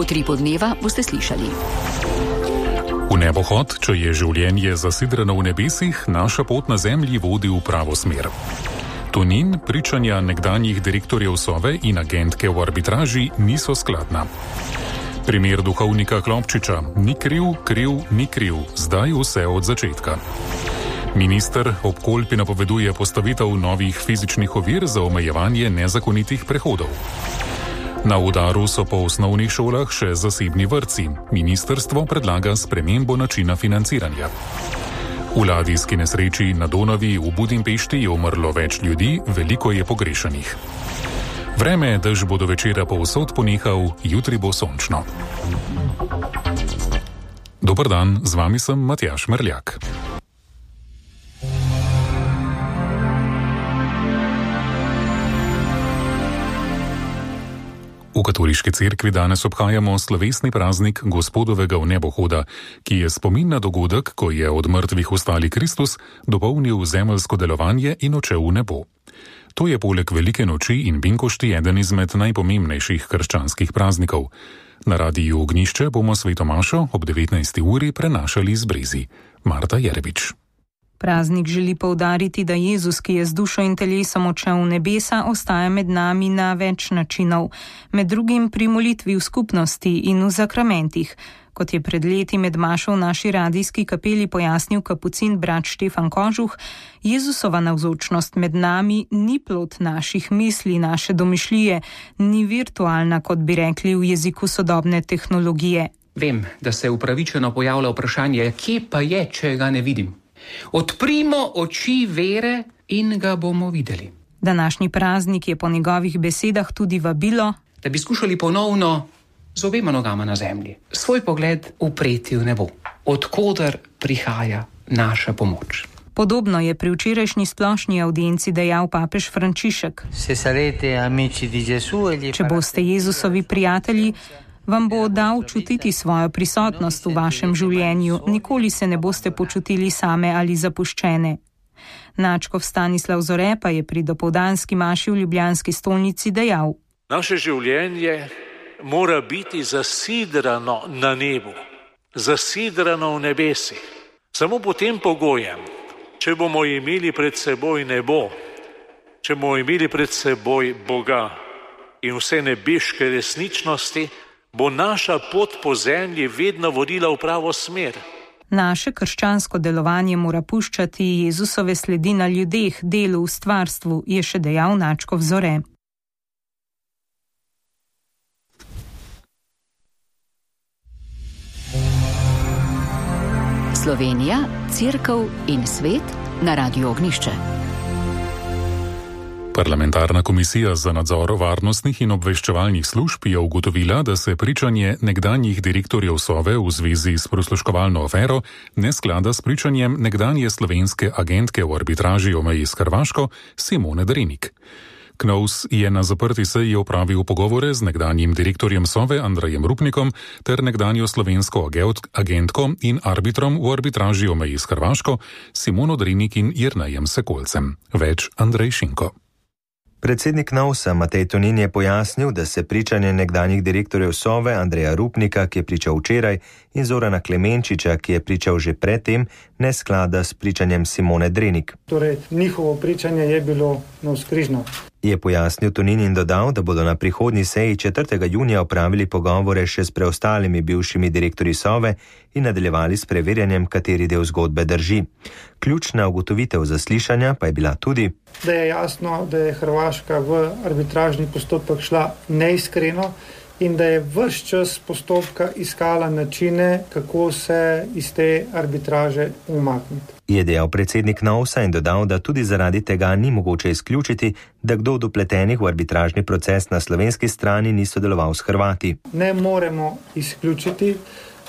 Utripu dneva boste slišali. V nebohod, če je življenje zasidrano v nebesih, naša pot na zemlji vodi v pravo smer. Tonin pričanja nekdanjih direktorjev Sove in agentke v arbitraži niso skladna. Primer duhovnika Klopčiča: ni kriv, ni kriv, zdaj vse od začetka. Minister ob Kolpi napoveduje postavitev novih fizičnih ovir za omejevanje nezakonitih prehodov. Na udaru so po osnovnih šolah še zasebni vrtci. Ministrstvo predlaga spremembo načina financiranja. V ladijski nesreči na Donavi v Budimpešti je umrlo več ljudi, veliko je pogrešanih. Vreme, dež bo do večera povsod ponehal, jutri bo sončno. Dober dan, z vami sem Matjaž Merljak. V katoliški cerkvi danes obhajamo slovesni praznik Gospodovega vnebohoda, ki je spomin na dogodek, ko je od mrtvih vstali Kristus, dopolnil zemeljsko delovanje in odšel v nebo. To je poleg Velike noči in binkošti eden izmed najpomembnejših krščanskih praznikov. Na Radiu Ognjišče bomo sveto mašo ob 19. uri prenašali z Brezi. Marta Jerebič. Praznik želi poudariti, da Jezus, ki je z dušo in telesom odšel v nebesa, ostaja med nami na več načinov, med drugim pri molitvi v skupnosti in v zakramentih. Kot je pred leti med mašo v naši radijski kapeli pojasnil kapucin brat Štefan Kožuh, Jezusova navzočnost med nami ni plod naših misli, naše domišljije, ni virtualna, kot bi rekli v jeziku sodobne tehnologije. Vem, da se upravičeno pojavlja vprašanje, kje pa je, če ga ne vidim. Odprimo oči vere in ga bomo videli. Današnji praznik je po njegovih besedah tudi vabilo, da bi skušali ponovno z obema nogama na zemlji svoj pogled upreti v nebo, odkoder prihaja naša pomoč. Podobno je pri včerajšnji splošni audienci dejal papež Frančišek. Če boste Jezusovi prijatelji, vam bo dal čutiti svojo prisotnost v vašem življenju, nikoli se ne boste počutili same ali zapuščene. Načkov Stanislav Zore pa je pri dopoldanski maši v ljubljanski stolnici dejal: naše življenje mora biti zasidrano na nebu, zasidrano v nebesih. Samo pod tem pogojem, če bomo imeli pred seboj nebo, če bomo imeli pred seboj Boga in vse nebeške resničnosti, bo naša pot po zemlji vedno vodila v pravo smer. Naše krščansko delovanje mora puščati Jezusove sledi na ljudeh, delu, v stvarstvu, je še dejal Načkov Zore. Slovenija, cerkev in svet na Radiu Ognjišče. Parlamentarna komisija za nadzor varnostnih in obveščevalnih služb je ugotovila, da se pričanje nekdanjih direktorjev Sove v zvezi s prisluškovalno afero ne sklada s pričanjem nekdanje slovenske agentke v arbitraži o meji s Hrvaško Simone Drenik. KNOVS je na zaprti seji opravil pogovore z nekdanjim direktorjem Sove Andrejem Rupnikom ter nekdanjo slovensko agentko in arbitrom v arbitraži o meji s Hrvaško Simono Drenik in Jernejem Sekolcem. Več Andrej Šinko. Predsednik KNOVS-a Matej Tonin je pojasnil, da se pričanje nekdanjih direktorjev Sove Andreja Rupnika, ki je pričal včeraj, in Zorana Klemenčiča, ki je pričal že predtem, ne sklada s pričanjem Simone Drenik. Torej, njihovo pričanje je bilo navzkrižno. Je pojasnil Tonin in dodal, da bodo na prihodnji seji 4. junija opravili pogovore še s preostalimi bivšimi direktorji Sove in nadaljevali s preverjanjem, kateri del zgodbe drži. Ključna ugotovitev zaslišanja pa je bila tudi, da je jasno, da je Hrvaška v arbitražni postopek šla neiskreno in da je ves čas postopka iskala načine, kako se iz te arbitraže umakniti. Je dejal predsednik KNOVS-a in dodal, da tudi zaradi tega ni mogoče izključiti, da kdo od vpletenih v arbitražni proces na slovenski strani ni sodeloval s Hrvati. Ne moremo izključiti,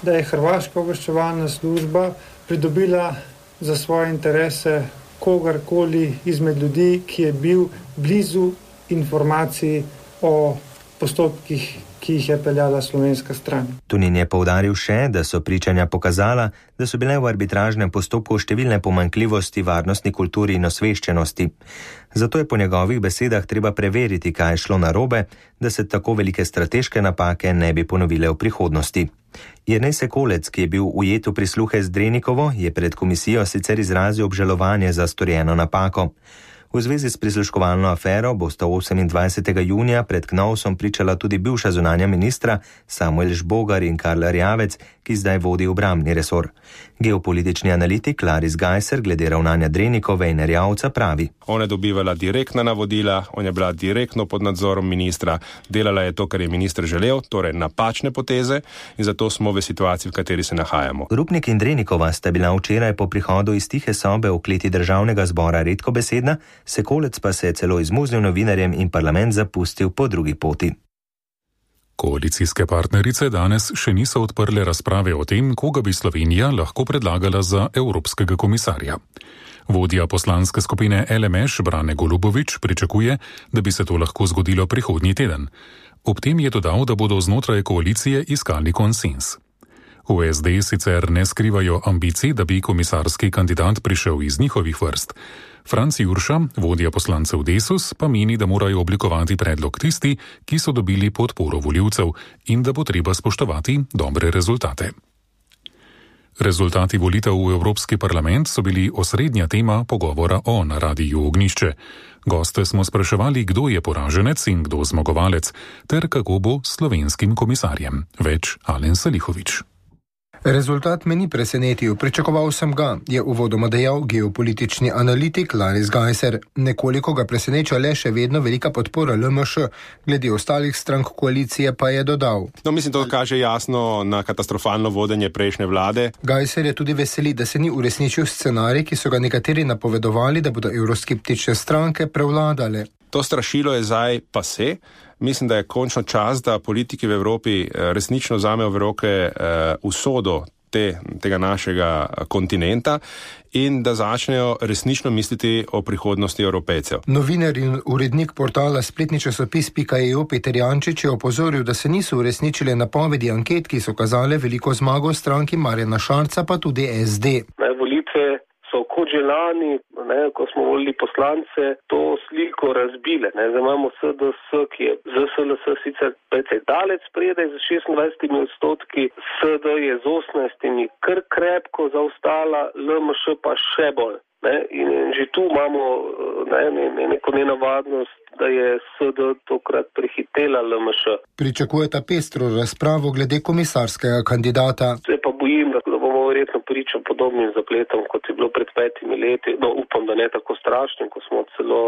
da je Hrvaška obveščevalna služba pridobila za svoje interese kogarkoli izmed ljudi, ki je bil blizu informacij o postopkih, ki jih je peljala slovenska stran. Tonin je poudaril še, da so pričanja pokazala, da so bile v arbitražnem postopku številne pomanjkljivosti varnostni kulturi in osveščenosti. Zato je po njegovih besedah treba preveriti, kaj je šlo narobe, da se tako velike strateške napake ne bi ponovile v prihodnosti. Jernej Sekolec, ki je bil ujet v prisluhe z Drenikovo, je pred komisijo sicer izrazil obžalovanje za storjeno napako. V zvezi s prisluškovalno afero bosta 28. junija pred Knovsom pričala tudi bivša zunanja ministra Samuel Žbogar in Karl Erjavec, ki zdaj vodi obrambni resor. Geopolitični analitik Laris Gajser glede ravnanja Drenikove in Erjavca pravi: Ona je dobivala direktna navodila, ona je bila direktno pod nadzorom ministra, delala je to, kar je minister želel, torej napačne poteze, in zato smo v situaciji, v kateri se nahajamo. Rupnik in Drenikova sta bila včeraj po prihodu iz tihe sobe v kleti državnega zbora redkobesedna, Sekolec pa se je celo izmuznil novinarjem in parlament zapustil po drugi poti. Koalicijske partnerice danes še niso odprle razprave o tem, koga bi Slovenija lahko predlagala za evropskega komisarja. Vodja poslanske skupine LMŠ Brane Golubović pričakuje, da bi se to lahko zgodilo prihodnji teden. Ob tem je dodal, da bodo znotraj koalicije iskali konsens. V SD sicer ne skrivajo ambicij, da bi komisarski kandidat prišel iz njihovih vrst. Franc Jurša, vodja poslancev Desus, pa meni, da morajo oblikovati predlog tisti, ki so dobili podporo volivcev in da bo treba spoštovati dobre rezultate. Rezultati volitev v Evropski parlament so bili osrednja tema pogovora na Radiu Ognjišče. Goste smo spraševali, kdo je poraženec in kdo zmagovalec, ter kako bo s slovenskim komisarjem. Več Alen Salihović. Rezultat me ni presenetil, pričakoval sem ga, je uvodoma dejal geopolitični analitik Laris Gajser. Nekoliko ga preseneča le še vedno velika podpora LMŠ, glede ostalih strank koalicije pa je dodal. Mislim, to kaže jasno na katastrofalno vodenje prejšnje vlade. Gajser je tudi veseli, da se ni uresničil scenarij, ki so ga nekateri napovedovali, da bodo evroskeptične stranke prevladale. To strašilo je zdaj pase. Mislim, da je končno čas, da politiki v Evropi resnično vzamejo v roke usodo tega našega kontinenta in da začnejo resnično misliti o prihodnosti Evropejcev. Novinar in urednik portala spletni časopis.eu Peter Jančič je opozoril, da se niso uresničile napovedi anket, ki so kazale veliko zmago stranki Marjana Šarca, pa tudi SD. Volitve so kot že lani, ko smo volili poslance, to sliko razbile. Zdaj imamo SDS, ki je ZSLS sicer precej daleč spredaj z 26%, SD je z 18% kar krepko zaostala, LMŠ pa še bolj. In že tu imamo neko nenavadnost, da je SD tokrat prehitela LMŠ. Pričakujeta pestro razpravo glede komisarskega kandidata. Se pa bojim, da bomo verjetno priča podobnim zapletom, kot je bilo pred 5 leti. Upam, da ne tako strašnim, ko smo celo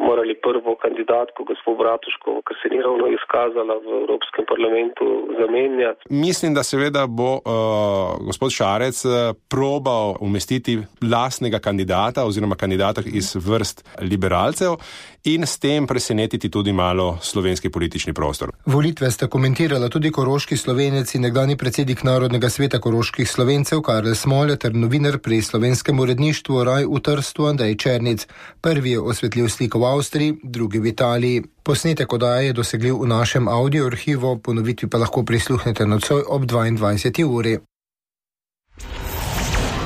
morali prvo kandidatko, gospod Bratuškovo, ki se ni ravno izkazala v Evropskem parlamentu, zamenjati. Mislim, da seveda bo gospod Šarec probal umestiti lastnega kandidata oziroma kandidata iz vrst liberalcev in s tem presenetiti tudi malo slovenski politični prostor. Volitve sta komentirala tudi koroški Slovenec in nekdanji predsednik Narodnega sveta koroških Slovencev Karel Smole ter novinar pri slovenskem uredništvu Raj v Trstu Andrej Černic. Prvi je osvetlil sliko v Avstriji, drugi v Italiji. Posnetek oddaje je dosegljiv v našem audio arhivu, ponovitvi pa lahko prisluhnete nocoj ob 22. uri.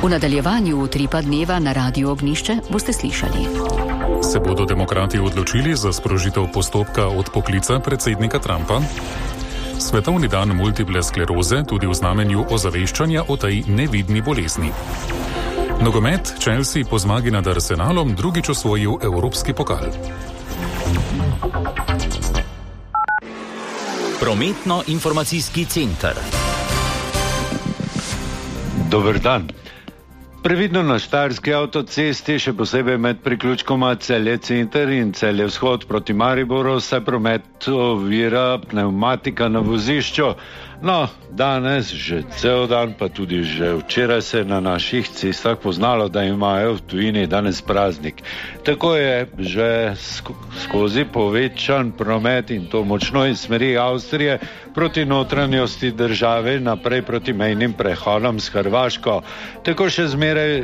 V nadaljevanju Utripa dneva na Radiu Ognjišče boste slišali. Se bodo demokrati odločili za sprožitev postopka odpoklica predsednika Trumpa? Svetovni dan multiple skleroze tudi v znamenju ozaveščanja o tej nevidni bolezni. Nogomet, Chelsea po zmagi nad Arsenalom drugič osvojil evropski pokal. Prometno-informacijski center. Dober dan. Previdno na Štajerski avtocesti, še posebej med priključkoma Celje center in Celje vzhod proti Mariboru, se promet ovira pnevmatika na vozišču. No, danes, že cel dan, pa tudi že včeraj se na naših cestah poznalo, da imajo v tujini danes praznik. Tako je že skozi povečan promet in to močno iz smeri Avstrije proti notranjosti države naprej proti mejnim prehodom s Hrvaško. Tako še zmeraj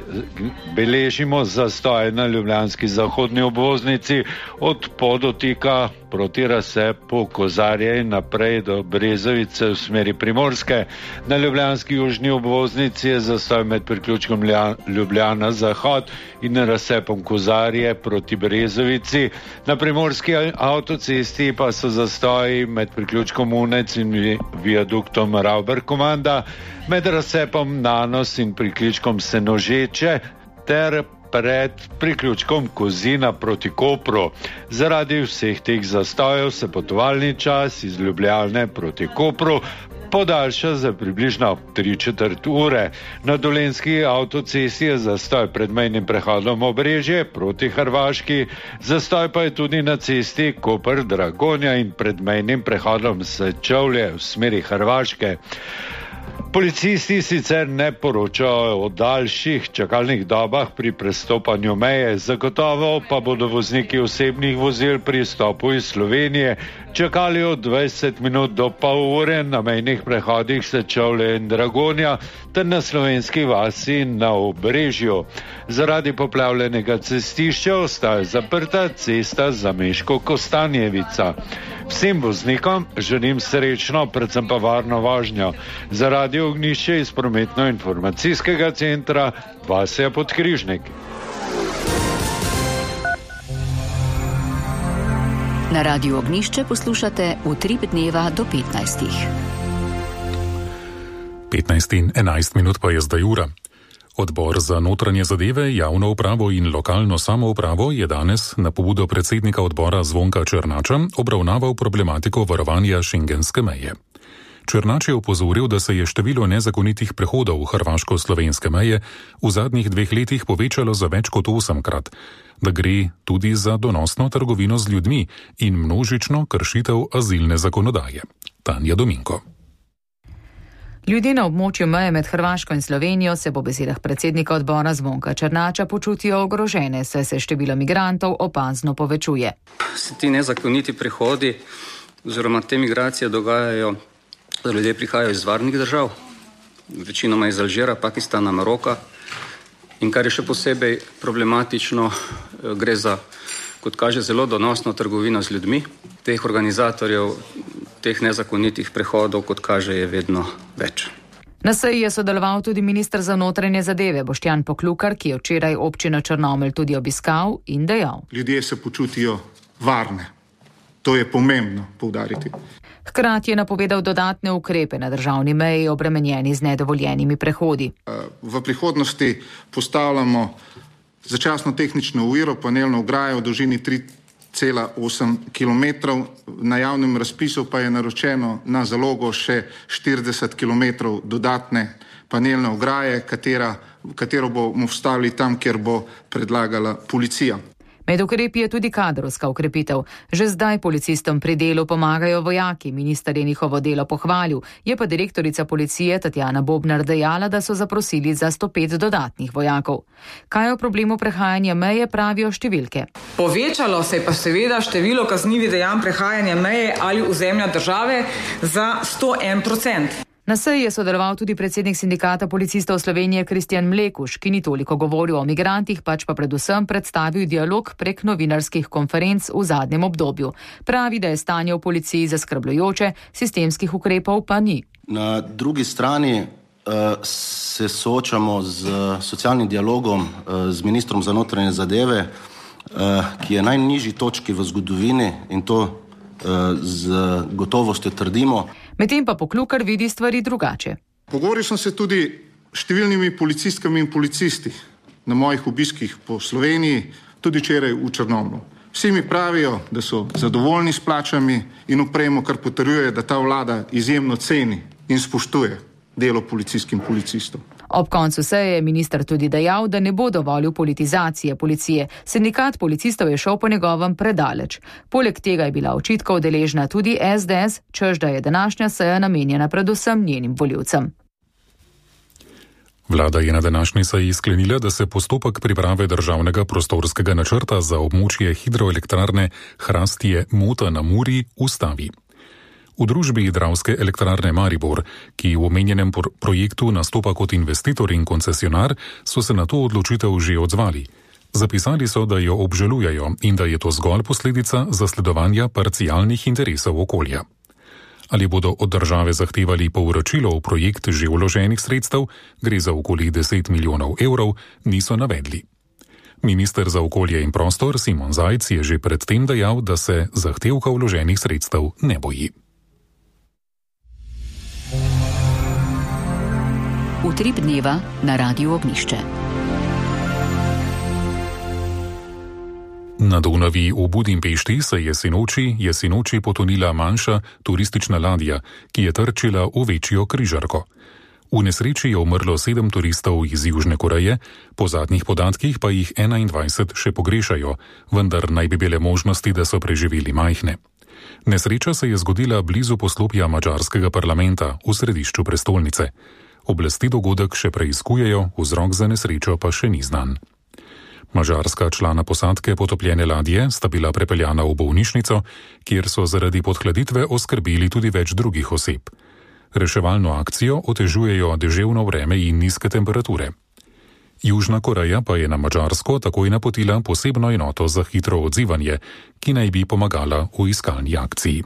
beležimo zastoje na ljubljanski zahodni obvoznici od Podotika proti razcepu Kozarje in naprej do Brezovice v smeri Primorske. Na ljubljanski južni obvoznici je zastoj med priključkom Ljubljana Zahod in razcepom Kozarje proti Brezovici. Na primorski avtocesti pa so zastoji med priključkom Unec in viaduktom Rauber-Komanda, med razcepom Nanos in priključkom Senožeče ter pred priključkom Kozina proti Kopru. Zaradi vseh teh zastojev se potovalni čas iz Ljubljane proti Kopru podaljša za približno 3/4 ure. Na dolenjski avtocesti je zastoj pred mejnim prehodom Obrežje proti Hrvaški, zastoj pa je tudi na cesti Koper-Dragonja in pred mejnim prehodom Sečovlje v smeri Hrvaške. Policisti sicer ne poročajo o daljših čakalnih dobah pri prestopanju meje, zagotovo pa bodo vozniki osebnih vozil pri stopu iz Slovenije čakali od 20 minut do pol ure na mejnih prehodih Sečovlje in Dragonja ter na slovenski vasi na Obrežju. Zaradi poplavljenega cestišča ostaja zaprta cesta Zameško-Kostanjevica. Vsem voznikom želim srečno, predvsem pa varno vožnjo. Za Radio Ognjišče iz prometno-informacijskega centra Vasja Podkrižnik. Na Radiu Ognjišče poslušate Utrip dneva do 15. 15 in 11 minut pa je zdaj ura. Odbor za notranje zadeve, javno upravo in lokalno samoupravo je danes na pobudo predsednika odbora Zvonka Černača obravnaval problematiko varovanja šengenske meje. Černač je opozoril, da se je število nezakonitih prehodov hrvaško-slovenske meje v zadnjih 2 letih povečalo za več kot 8-krat, da gre tudi za donosno trgovino z ljudmi in množično kršitev azilne zakonodaje. Tanja Dominko. Ljudje na območju meje med Hrvaško in Slovenijo se po besedah predsednika odbora Zvonka Černača počutijo ogrožene, saj se število migrantov opazno povečuje. Se ti nezakoniti prehodi oziroma te migracije dogajajo, da ljudje prihajajo iz varnih držav, večinoma iz Alžira, Pakistana, Maroka, in kar je še posebej problematično, gre za, kot kaže, zelo donosno trgovino z ljudmi. Teh organizatorjev teh nezakonitih prehodov, kot kaže, je vedno več. Na seji je sodeloval tudi minister za notranje zadeve Boštjan Poklukar, ki je včeraj občino Črnomelj tudi obiskal in dejal: Ljudje se počutijo varne. To je pomembno poudariti. Hkrati je napovedal dodatne ukrepe na državni meji, obremenjeni z nedovoljenimi prehodi. V prihodnosti postavljamo začasno tehnično oviro, panelno ograjo v dolžini 3,8 km. Na javnem razpisu pa je naročeno na zalogo še 40 km dodatne panelne ograje, katero bomo vstavili tam, kjer bo predlagala policija. Med ukrepi je tudi kadrovska ukrepitev. Že zdaj policistom pri delu pomagajo vojaki, minister je njihovo delo pohvalil, je pa direktorica policije Tatjana Bobnar dejala, da so zaprosili za 105 dodatnih vojakov. Kaj o problemu prehajanja meje pravijo številke? Povečalo se je pa seveda število kaznivih dejanj prehajanja meje ali ozemlja države za 101%. Na seji je sodeloval tudi predsednik sindikata policistov Slovenije Kristjan Mlekuš, ki ni toliko govoril o migrantih, pač pa predvsem predstavil dialog prek novinarskih konferenc v zadnjem obdobju. Pravi, da je stanje v policiji zaskrbljujoče, sistemskih ukrepov pa ni. Na drugi strani se soočamo z socialnim dialogom z ministrom za notranje zadeve, ki je najnižji točki v zgodovini in to z gotovostjo trdimo. Medtem pa Poklukar vidi stvari drugače. Pogovoril sem se tudi številnimi policistkami in policisti na mojih obiskih po Sloveniji, tudi včeraj v Črnomlju. Vsi mi pravijo, da so zadovoljni s plačami in opremo, kar potrjuje, da ta vlada izjemno ceni in spoštuje delo policijskih in policistov. Ob koncu seje je minister tudi dejal, da ne bo dovolil politizacije policije. Sindikat policistov je šel po njegovem predaleč. Poleg tega je bila očitkov deležna tudi SDS, češ da je današnja seja namenjena predvsem njenim volivcem. Vlada je na današnji seji sklenila, da se postopek priprave državnega prostorskega načrta za območje hidroelektrarne Hrastje-Mota na Muri ustavi. V družbi Dravske elektrarne Maribor, ki v omenjenem projektu nastopa kot investitor in koncesionar, so se na to odločitev že odzvali. Zapisali so, da jo obžalujejo in da je to zgolj posledica zasledovanja parcialnih interesov okolja. Ali bodo od države zahtevali povračilo v projekt že vloženih sredstev, gre za okoli 10 milijonov evrov, niso navedli. Minister za okolje in prostor Simon Zajc je že predtem dejal, da se zahtevka vloženih sredstev ne boji. Utrip dneva na Radiu Ognišče. Na Donavi v Budimpešti se je sinoči potonila manjša turistična ladja, ki je trčila v večjo križarko. V nesreči je umrlo 7 turistov iz Južne Koreje, po zadnjih podatkih pa jih 21 še pogrešajo, vendar naj bi bile možnosti, da so preživeli majhne. Nesreča se je zgodila blizu poslopja madžarskega parlamenta v središču prestolnice. Oblasti dogodek še preiskujejo, vzrok za nesrečo pa še ni znan. Madžarska člana posadke potopljene ladje sta bila prepeljana v bolnišnico, kjer so zaradi podhladitve oskrbeli tudi več drugih oseb. Reševalno akcijo otežujejo deževno vreme in nizke temperature. Južna Koreja pa je na Madžarsko takoj napotila posebno enoto za hitro odzivanje, ki naj bi pomagala v iskalni akciji.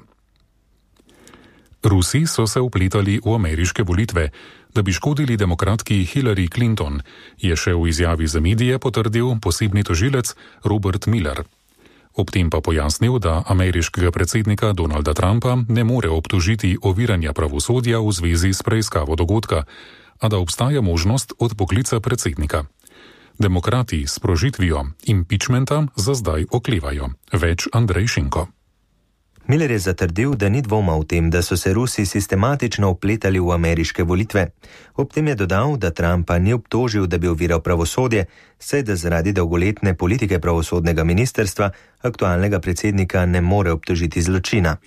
Rusi so se vpletali v ameriške volitve, da bi škodili demokratki Hillary Clinton, je še v izjavi za medije potrdil posebni tožilec Robert Mueller. Ob tem pa pojasnil, da ameriškega predsednika Donalda Trumpa ne more obtožiti oviranja pravosodja v zvezi s preiskavo dogodka, a da obstaja možnost odpoklica predsednika. Demokrati s sprožitvijo impeachmenta za zdaj oklevajo. Več Andrej Šinko. Mueller je zatrdil, da ni dvoma v tem, da so se Rusi sistematično vpletali v ameriške volitve. Ob tem je dodal, da Trumpa ni obtožil, da bi oviral pravosodje, saj da zaradi dolgoletne politike pravosodnega ministrstva aktualnega predsednika ne more obtožiti zločina.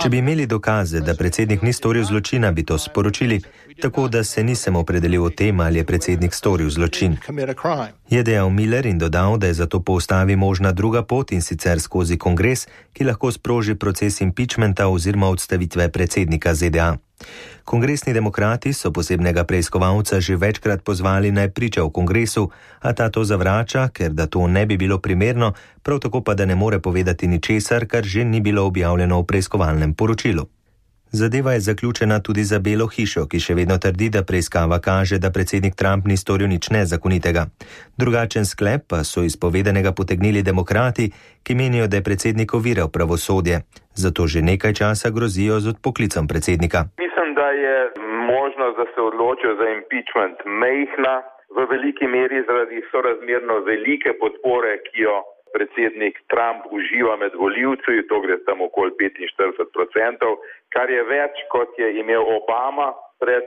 Če bi imeli dokaze, da predsednik ni storil zločina, bi to sporočili, tako da se nisem opredelil o tem, ali je predsednik storil zločin. Je dejal Mueller in dodal, da je zato po ustavi možna druga pot, in sicer skozi kongres, ki lahko sproži proces impeachmenta oziroma odstavitve predsednika ZDA. Kongresni demokrati so posebnega preiskovalca že večkrat pozvali naj priča v kongresu, a ta to zavrača, ker da to ne bi bilo primerno, prav tako pa da ne more povedati ničesar, kar že ni bilo objavljeno v preiskovalnem poročilu. Zadeva je zaključena tudi za Belo hišo, ki še vedno trdi, da preiskava kaže, da predsednik Trump ni storil nič nezakonitega. Drugačen sklep pa so iz povedanega potegnili demokrati, ki menijo, da je predsednik oviral pravosodje. Zato že nekaj časa grozijo z odpoklicom predsednika. Mislim, da je možnost, da se odločijo za impeachment mejhna, v veliki meri zaradi sorazmerno velike podpore, ki jo predsednik Trump uživa med volivci, to gre tam okoli 45%, kar je več, kot je imel Obama pred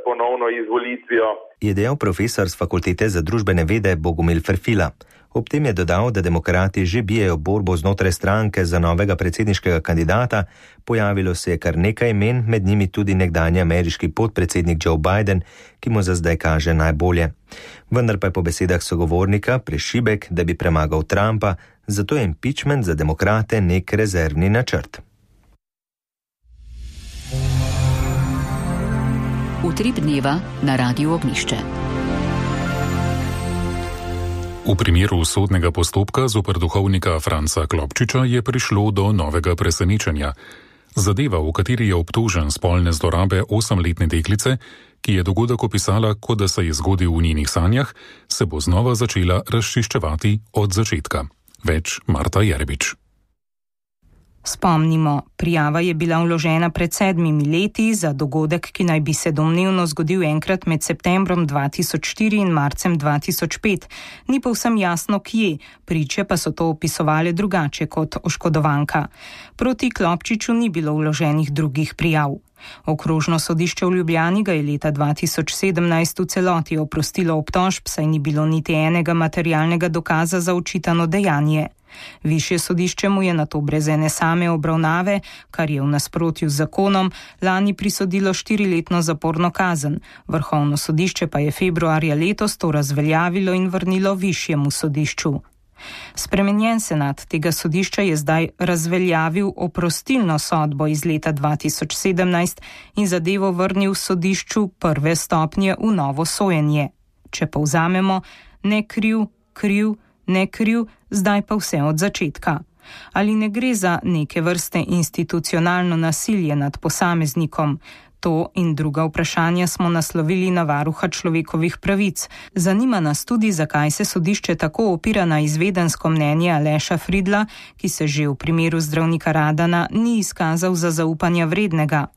ponovno izvolitvijo. Je dejal profesor z fakultete za družbene vede Bogomil Ferfila. Ob tem je dodal, da demokrati že bijejo borbo znotraj stranke za novega predsedniškega kandidata, pojavilo se je kar nekaj imen, med njimi tudi nekdanji ameriški podpredsednik Joe Biden, ki mu za zdaj kaže najbolje. Vendar pa je po besedah sogovornika prešibek, da bi premagal Trumpa, zato je impeachment za demokrate nek rezervni načrt. Utrip dneva na Radiu Ognišče. V primeru sodnega postopka zoper duhovnika Franca Klopčiča je prišlo do novega presenečenja. Zadeva, v kateri je obtožen spolne zlorabe 8-letne deklice, ki je dogodek opisala, kot da se je zgodil v njenih sanjah, se bo znova začela razčiščevati od začetka. Več Marta Jerbič. Spomnimo, prijava je bila vložena pred 7 leti za dogodek, ki naj bi se domnevno zgodil enkrat med septembrom 2004 in marcem 2005. Ni povsem jasno, kje, priče pa so to opisovali drugače kot oškodovanka. Proti Klopčiču ni bilo vloženih drugih prijav. Okrožno sodišče v Ljubljani ga je leta 2017 v celoti oprostilo obtožb, saj ni bilo niti enega materialnega dokaza za očitano dejanje. Višje sodišče mu je nato brez ene same obravnave, kar je v nasprotju z zakonom, lani prisodilo 4-letno zaporno kazen. Vrhovno sodišče pa je februarja letos to razveljavilo in vrnilo višjemu sodišču. Spremenjen senat tega sodišča je zdaj razveljavil oprostilno sodbo iz leta 2017 in zadevo vrnil sodišču prve stopnje v novo sojenje. Če povzamemo, ne kriv, kriv, ne kriv, zdaj pa vse od začetka. Ali ne gre za neke vrste institucionalno nasilje nad posameznikom? To in druga vprašanja smo naslovili na varuha človekovih pravic. Zanima nas tudi, zakaj se sodišče tako opira na izvedensko mnenje Aleša Fridla, ki se že v primeru zdravnika Radana ni izkazal za zaupanja vrednega.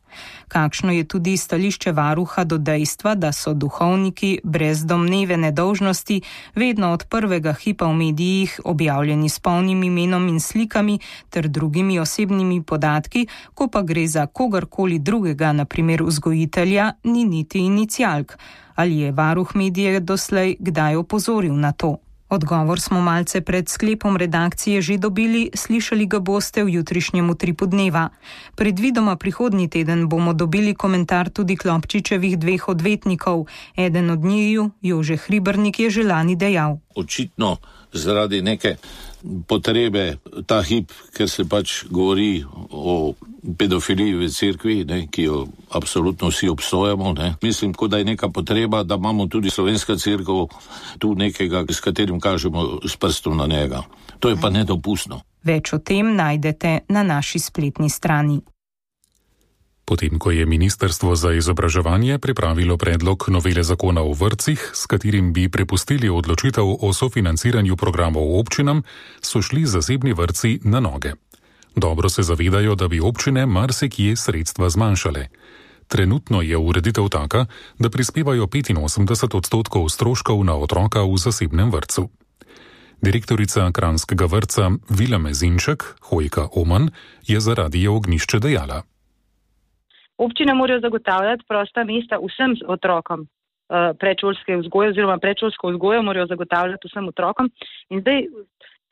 Kakšno je tudi stališče varuha do dejstva, da so duhovniki brez domneve nedolžnosti vedno od prvega hipa v medijih objavljeni s polnim imenom in slikami ter drugimi osebnimi podatki, ko pa gre za kogarkoli drugega, na primer vzgojitelja, ni niti inicialk. Ali je varuh medije doslej kdaj opozoril na to? Odgovor smo malce pred sklepom redakcije že dobili, slišali ga boste v jutrišnjem Utripu dneva. Predvidoma prihodnji teden bomo dobili komentar tudi Klopčičevih dveh odvetnikov. Eden od njiju, Jože Hribernik, je že lani dejal. Očitno zaradi neke potrebe ta hip, ker se pač govori o pedofiliji v cerkvi, ki jo absolutno vsi obsojamo. Mislim, kot da je neka potreba, da imamo tudi slovenska cerkev tu nekega, s katerim kažemo s prstom na njega. To je pa nedopustno. Več o tem najdete na naši spletni strani. Potem, ko je Ministrstvo za izobraževanje pripravilo predlog novele zakona o vrtcih, s katerim bi prepustili odločitev o sofinanciranju programov občinam, so šli zasebni vrtci na noge. Dobro se zavedajo, da bi občine marsikje sredstva zmanjšale. Trenutno je ureditev taka, da prispevajo 85% stroškov na otroka v zasebnem vrtcu. Direktorica kranjskega vrtca Vila Mezinček, Hojka Oman, je za Radio Ognjišče dejala. Občine morajo zagotavljati prosta mesta vsem otrokom predšolske vzgoje oziroma predšolsko vzgojo morajo zagotavljati vsem otrokom. In zdaj,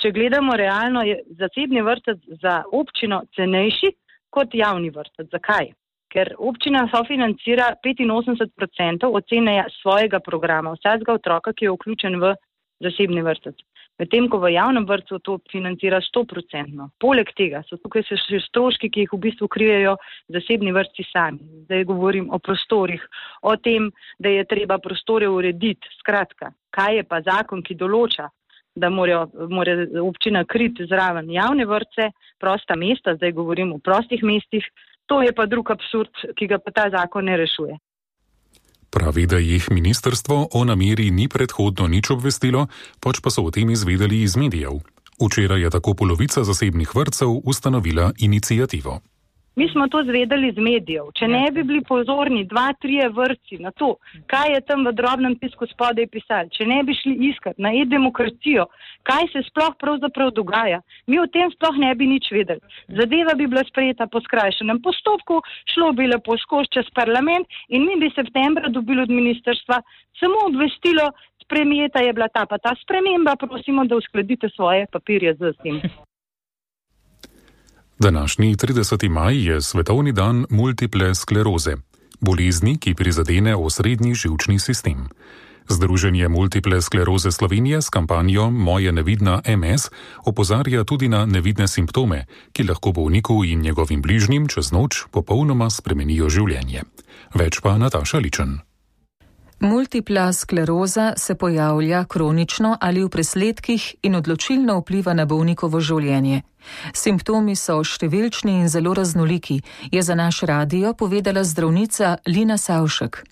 če gledamo realno, je zasebni vrtec za občino cenejši kot javni vrtec. Zakaj? Ker občina sofinancira 85% ocene svojega programa, vsakega otroka, ki je vključen v zasebni vrtec. Medtem ko v javnem vrtcu to financira 100%. Poleg tega so tukaj še stroški, ki jih v bistvu krijejo zasebni vrtci sami. Zdaj govorim o prostorih, o tem, da je treba prostore urediti. Skratka, kaj je pa zakon, ki določa, da mora občina kriti zraven javne vrtce, prosta mesta, zdaj govorim o prostih mestih, to je pa drug absurd, ki ga pa ta zakon ne rešuje. Pravi, da jih ministrstvo o nameri ni predhodno nič obvestilo, pač pa so o tem izvedeli iz medijev. Včeraj je tako polovica zasebnih vrtcev ustanovila iniciativo. Mi smo to zvedeli z medijev. Če ne bi bili pozorni 2-3 vrtci na to, kaj je tam v drobnem tisku spodaj pisali, če ne bi šli iskati na e-demokracijo, kaj se sploh pravzaprav dogaja, mi o tem sploh ne bi nič vedeli. Zadeva bi bila sprejeta po skrajšanem postopku, šlo bi lepo skozi čez parlament in mi bi septembra dobili od ministrstva samo obvestilo, sprejeta je bila ta pa ta sprememba, prosimo, da uskladite svoje papirje z tem. Današnji 30. maj je svetovni dan multiple skleroze, bolezni, ki prizadene osrednji živčni sistem. Združenje Multiple skleroze Slovenije s kampanjo Moje nevidna MS opozarja tudi na nevidne simptome, ki lahko bolniku in njegovim bližnjim čez noč popolnoma spremenijo življenje. Več pa Nataša Ličen. Multipla skleroza se pojavlja kronično ali v presledkih in odločilno vpliva na bolnikovo življenje. Simptomi so številčni in zelo raznoliki, je za naš radio povedala zdravnica Lina Savšek.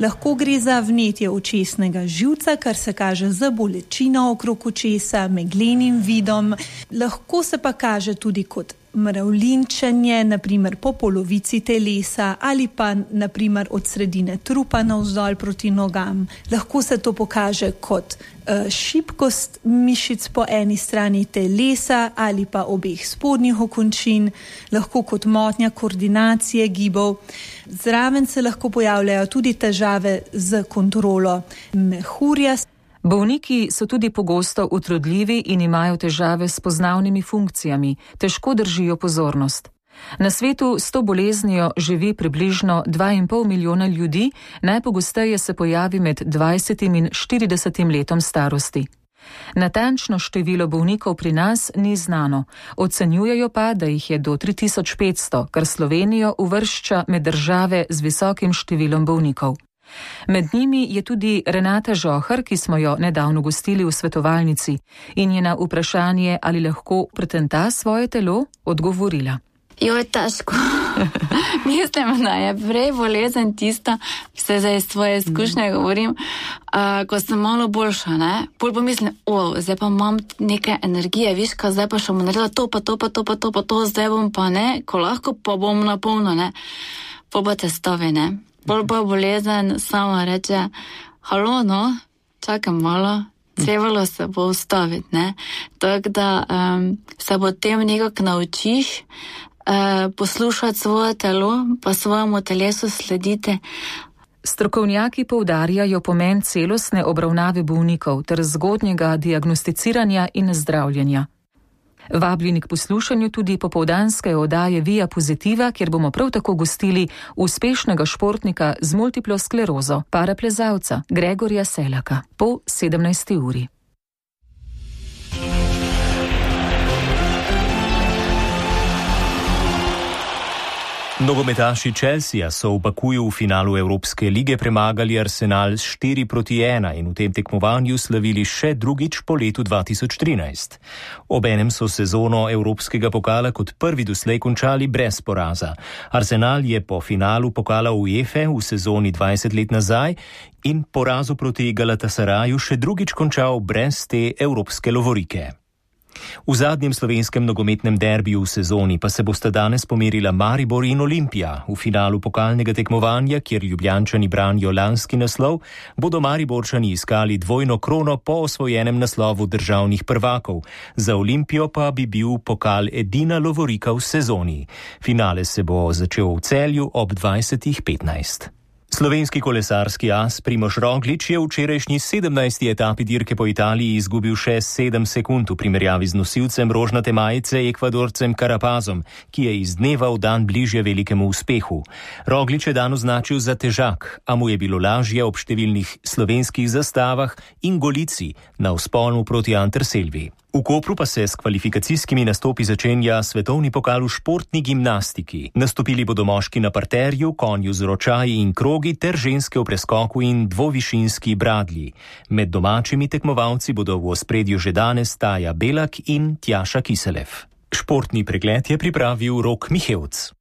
Lahko gre za vnetje očesnega živca, kar se kaže z bolečino okrog očesa, meglenim vidom. Lahko se pa kaže tudi kot mravljinčenje, naprimer po polovici telesa ali pa naprimer od sredine trupa navzdol proti nogam. Lahko se to pokaže kot šibkost mišic po eni strani telesa ali pa obeh spodnjih okončin, lahko kot motnja koordinacije gibov. Zraven se lahko pojavljajo tudi težave z kontrolo mehurja. Bolniki so tudi pogosto utrudljivi in imajo težave s poznavnimi funkcijami, težko držijo pozornost. Na svetu s to boleznijo živi približno 2,5 milijona ljudi, najpogosteje se pojavi med 20 in 40 letom starosti. Natančno število bolnikov pri nas ni znano, ocenjujejo pa, da jih je do 3500, kar Slovenijo uvršča med države z visokim številom bolnikov. Med njimi je tudi Renata Žohar, ki smo jo nedavno gostili v svetovalnici in je na vprašanje, ali lahko pretenta svoje telo, odgovorila. Je težko. Mislim, da je prej bolezen tista, vse zdaj svoje izkušnje govorim, ko sem malo boljša, ne? Pol pomislim, zdaj pa imam neke energije, viš, ka zdaj pa še bom naredila to, zdaj bom pa ne, ko lahko pa bom napolno, ne? Pol pa testovi, ne? Pol pa bolezen sama reče, halo, no, čakam malo, trebalo se bo ustaviti, ne? Tako da se potem nekako naučiš, poslušati svoje telo, pa svojemu telesu sledite. Strokovnjaki poudarjajo pomen celostne obravnave bolnikov ter zgodnjega diagnosticiranja in zdravljenja. Vabljeni k poslušanju tudi popoldanske oddaje Via Positiva, kjer bomo prav tako gostili uspešnega športnika z multiplo sklerozo, paraplezalca Gregorja Selaka, po 17. uri. Nogometaši Chelsea so v Bakuju v finalu Evropske lige premagali Arsenal s 4-1 in v tem tekmovanju slavili še drugič po letu 2013. Obenem so sezono Evropskega pokala kot prvi doslej končali brez poraza. Arsenal je po finalu pokala UEFA v sezoni 20 let nazaj in porazu proti Galatasaraju še drugič končal brez te evropske lovorike. V zadnjem slovenskem nogometnem derbiju v sezoni pa se bosta danes pomerila Maribor in Olimpija. V finalu pokalnega tekmovanja, kjer Ljubljančani branijo lanski naslov, bodo Mariborčani iskali dvojno krono po osvojenem naslovu državnih prvakov. Za Olimpijo pa bi bil pokal edina lovorika v sezoni. Finale se bo začel v Celju ob 20:15. Slovenski kolesarski as Primož Roglič je v včerajšnji 17. etapi dirke po Italiji izgubil še 7 sekund v primerjavi z nosilcem rožnate majice Ekvadorcem Carapazom, ki je iz dneva v dan bližje velikemu uspehu. Roglič je dan označil za težak, a mu je bilo lažje ob številnih slovenskih zastavah in Golici na vzponu proti Anterselvi. V Kopru pa se s kvalifikacijskimi nastopi začenja svetovni pokal v športni gimnastiki. Nastopili bodo moški na parterju, konju z ročaji in krogi ter ženske v preskoku in dvovišinski bradlji. Med domačimi tekmovalci bodo v ospredju že danes Taja Belak in Tjaša Kiselev. Športni pregled je pripravil Rok Mihevc.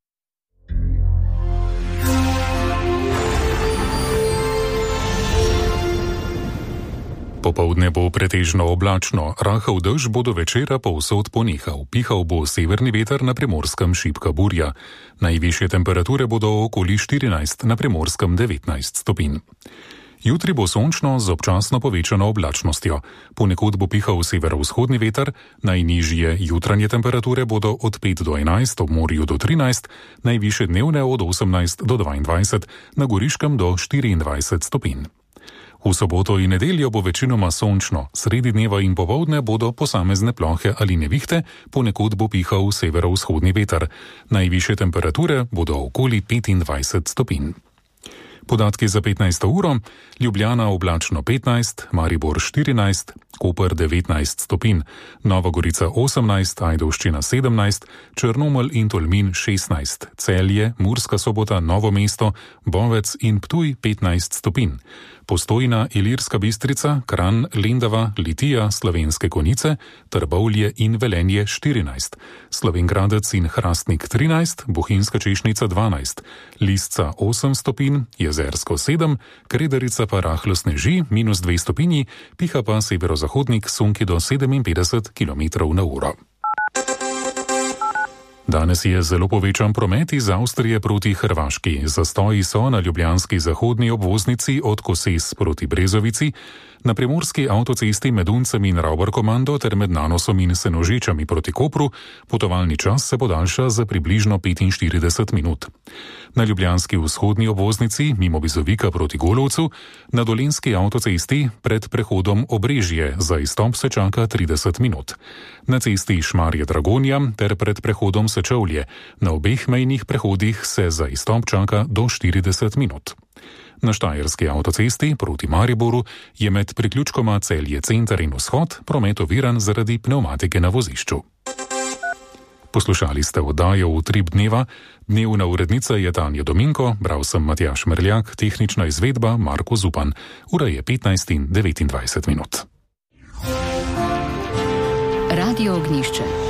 Popoldne bo pretežno oblačno, rahel dež bo do večera povsod ponehal. Pihal bo severni veter, na Primorskem šibka burja. Najvišje temperature bodo okoli 14, na Primorskem 19 stopinj. Jutri bo sončno z občasno povečano oblačnostjo. Ponekod bo pihal severovzhodni veter, najnižje jutranje temperature bodo od 5 do 11, ob morju do 13, najvišje dnevne od 18 do 22, na Goriškem do 24 stopinj. V soboto in nedeljo bo večinoma sončno, sredi dneva in popoldne bodo posamezne plohe ali nevihte, ponekod bo pihal severovzhodni veter. Najvišje temperature bodo okoli 25 stopinj. Podatki za 15. uro: Ljubljana oblačno 15, Maribor 14, Koper 19 stopinj, Nova Gorica 18, Ajdovščina 17, Črnomelj in Tolmin 16, Celje, Murska Sobota, Novo mesto, Bovec in Ptuj 15 stopinj. Postojna, Ilirska Bistrica, Kranj, Lendava, Litija, Slovenske Konjice, Trbovlje in Velenje 14, Slovenj Gradec in Hrastnik 13, Bohinjska Češnica 12, Lisca 8 stopinj, Jezersko 7, Kredarica pa rahlo sneži, -2 stopinji, piha pa severozahodnik sunki do 57 km/h. Danes je zelo povečan promet iz Avstrije proti Hrvaški. Zastoji so na ljubljanski zahodni obvoznici od Koses proti Brezovici, na primorski avtocesti med Uncem in Ravbarkomando ter med Nanosom in Senožečami proti Kopru. Potovalni čas se podaljša za približno 45 minut. Na ljubljanski vzhodni obvoznici mimo Bizovika proti Golovcu, na dolenjski avtocesti pred prehodom Obrežje za izstop se čaka 30 minut. Na cesti Šmarje-Dragonja ter pred prehodom Sečovlje, na obeh mejnih prehodih se za izstop čaka do 40 minut. Na štajerski avtocesti proti Mariboru je med priključkoma Celje Center in Vzhod promet oviran zaradi pnevmatike na vozišču. Poslušali ste oddajo Utrip dneva. Dnevna urednica je Tanja Dominko, bral sem Matjaž Merljak, tehnična izvedba Marko Zupan. Ura je 15:29. Radio Ognišče.